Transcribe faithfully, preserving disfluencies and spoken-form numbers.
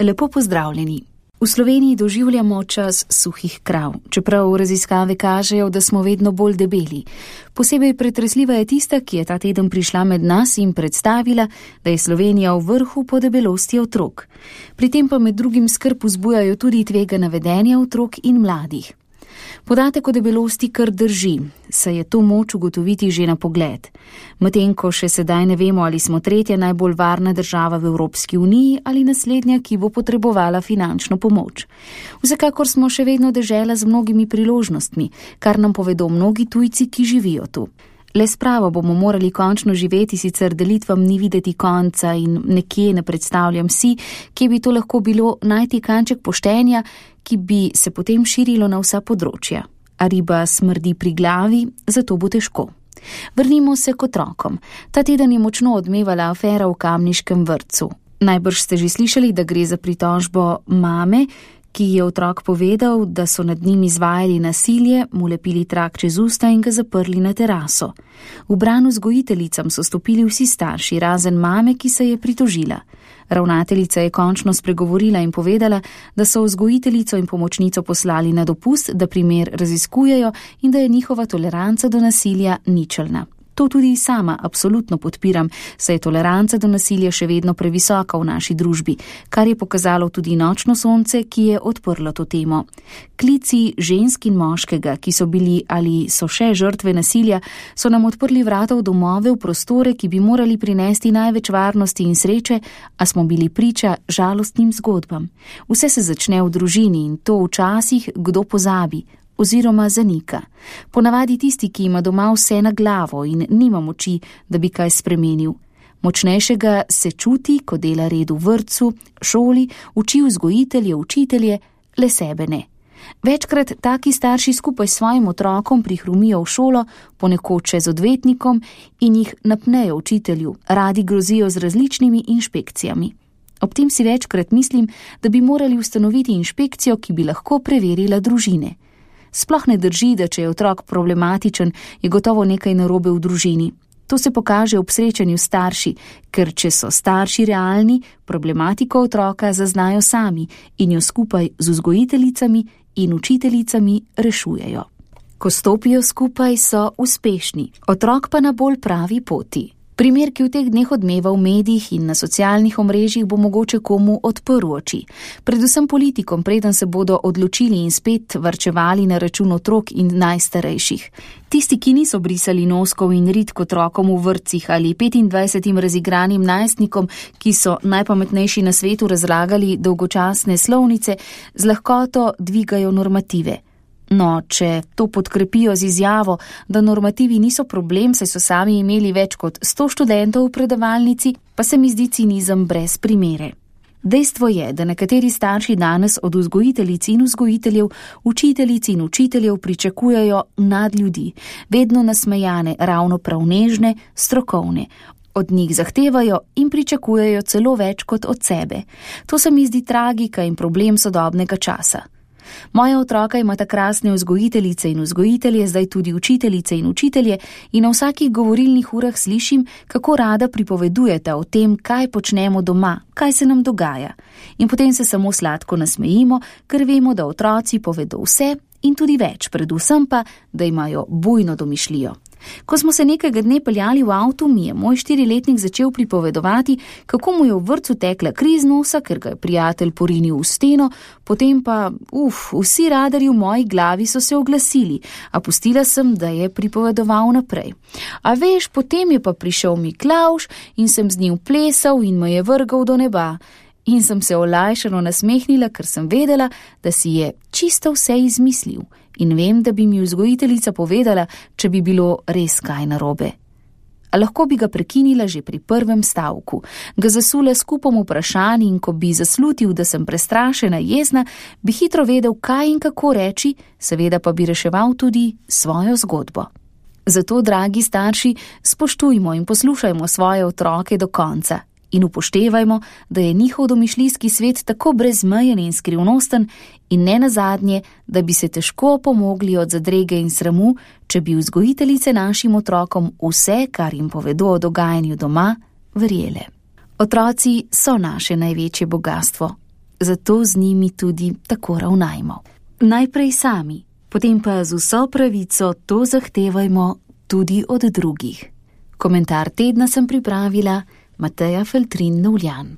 Lepo pozdravljeni. V Sloveniji doživljamo čas suhih krav, čeprav raziskave kažejo, da smo vedno bolj debeli. Posebej pretresljiva je tista, ki je ta teden prišla med nas in predstavila, da je Slovenija v vrhu po debelosti otrok. Pri tem pa med drugim skrb vzbujajo tudi tvegana vedenja otrok in mladih. Podatek o debelosti kar drži, saj je to moč ugotoviti že na pogled. Medtem ko še sedaj ne vemo, ali smo tretja najbolj varna država v Evropski uniji ali naslednja, ki bo potrebovala finančno pomoč. Vsekakor smo še vedno dežela z mnogimi priložnostmi, kar nam povedo mnogi tujci, ki živijo tu. Le spravo bomo morali končno živeti, sicer delitvam ni videti konca in nekje ne predstavljam si, kje bi to lahko bilo najti kanček poštenja, ki bi se potem širilo na vsa področja. A riba smrdi pri glavi, zato bo težko. Vrnimo se k otrokom. Ta teden je močno odmevala afera v Kamniškem vrtcu. Najbrž ste že slišali, da gre za pritožbo mame, ki je otrok povedal, da so nad njim izvajali nasilje, mu lepili trak čez usta in ga zaprli na teraso. V bran vzgojiteljicam so stopili vsi starši, razen mame, ki se je pritožila. Ravnateljica je končno spregovorila in povedala, da so vzgojiteljico in pomočnico poslali na dopust, da primer raziskujejo in da je njihova toleranca do nasilja ničelna. To tudi sama absolutno podpiram, saj je toleranca do nasilja še vedno previsoka v naši družbi, kar je pokazalo tudi nočno sonce, ki je odprlo to temo. Klici žensk in moškega, ki so bili ali so še žrtve nasilja, so nam odprli vrata v domove, v prostore, ki bi morali prinesti največ varnosti in sreče, a smo bili priča žalostnim zgodbam. Vse se začne v družini in to včasih kdo pozabi oziroma zanika. Ponavadi tisti, ki ima doma vse na glavo in nima moči, da bi kaj spremenil. Močnejšega se čuti, ko dela red v vrtcu, šoli, uči vzgojitelje, učitelje, le sebe ne. Večkrat taki starši skupaj s svojim otrokom prihrumijo v šolo, ponekod še z odvetnikom in jih napnejo učitelju, radi grozijo z različnimi inšpekcijami. Ob tem si večkrat mislim, da bi morali ustanoviti inšpekcijo, ki bi lahko preverila družine. Sploh ne drži, da če je otrok problematičen, je gotovo nekaj narobe v družini. To se pokaže ob srečanju starši, ker če so starši realni, problematiko otroka zaznajo sami in jo skupaj z vzgojiteljicami in učiteljicami rešujejo. Ko stopijo skupaj, so uspešni, otrok pa na bolj pravi poti. Primer, ki v teh dneh odmeva v medijih in na socialnih omrežjih, bo mogoče komu odprl oči. Predvsem politikom, preden se bodo odločili in spet varčevali na račun otrok in najstarejših. Tisti, ki niso brisali noskov in rit k otrokom v vrtcih ali petindvajsetim razigranim najstnikom, ki so najpametnejši na svetu razlagali dolgočasne slovnice, z lahkoto dvigajo normative. No, če to podkrepijo z izjavo, da normativi niso problem, saj so sami imeli več kot sto študentov v predavalnici, pa se mi zdi cinizem brez primere. Dejstvo je, da nekateri starši danes od vzgojiteljic in vzgojiteljev, učiteljic in učiteljev pričakujejo nadljudi, vedno nasmejane, ravno prav nežne, strokovne. Od njih zahtevajo in pričakujejo celo več kot od sebe. To se mi zdi tragika in problem sodobnega časa. Moja otroka imata krasne vzgojiteljice in vzgojitelje, zdaj tudi učiteljice in učitelje in na vsakih govorilnih urah slišim, kako rada pripovedujete o tem, kaj počnemo doma, kaj se nam dogaja. In potem se samo sladko nasmejimo, ker vemo, da otroci povedo vse in tudi več, predvsem pa, da imajo bujno domišljijo. Ko smo se nekega dne peljali v avtu, mi je moj štiriletnik začel pripovedovati, kako mu je v vrtcu tekla kri iz nosa, ker ga je prijatelj porinil v steno, potem pa, uf, vsi radarji v moji glavi so se oglasili, a pustila sem, da je pripovedoval naprej. A veš, potem je pa prišel Miklavž in sem z njim plesal in me je vrgal do neba. In sem se olajšano nasmehnila, ker sem vedela, da si je čisto vse izmislil. In vem, da bi mi vzgojiteljica povedala, če bi bilo res kaj narobe. A lahko bi ga prekinila že pri prvem stavku, ga zasula s kupom vprašanj in ko bi zaslutil, da sem prestrašena, jezna, bi hitro vedel, kaj in kako reči, seveda pa bi reševal tudi svojo zgodbo. Zato, dragi starši, spoštujmo in poslušajmo svoje otroke do konca in upoštevajmo, da je njihov domišljijski svet tako brezmejen in skrivnosten in ne nazadnje, da bi se težko pomogli od zadrege in sramu, če bi vzgojiteljice našim otrokom vse, kar jim povedo o dogajanju doma, verjele. Otroci so naše največje bogatstvo. zato z njimi tudi tako ravnajmo. Najprej sami, potem pa z vso pravico to zahtevajmo tudi od drugih. Komentar tedna sem pripravila Mateja Feltrin Novljan.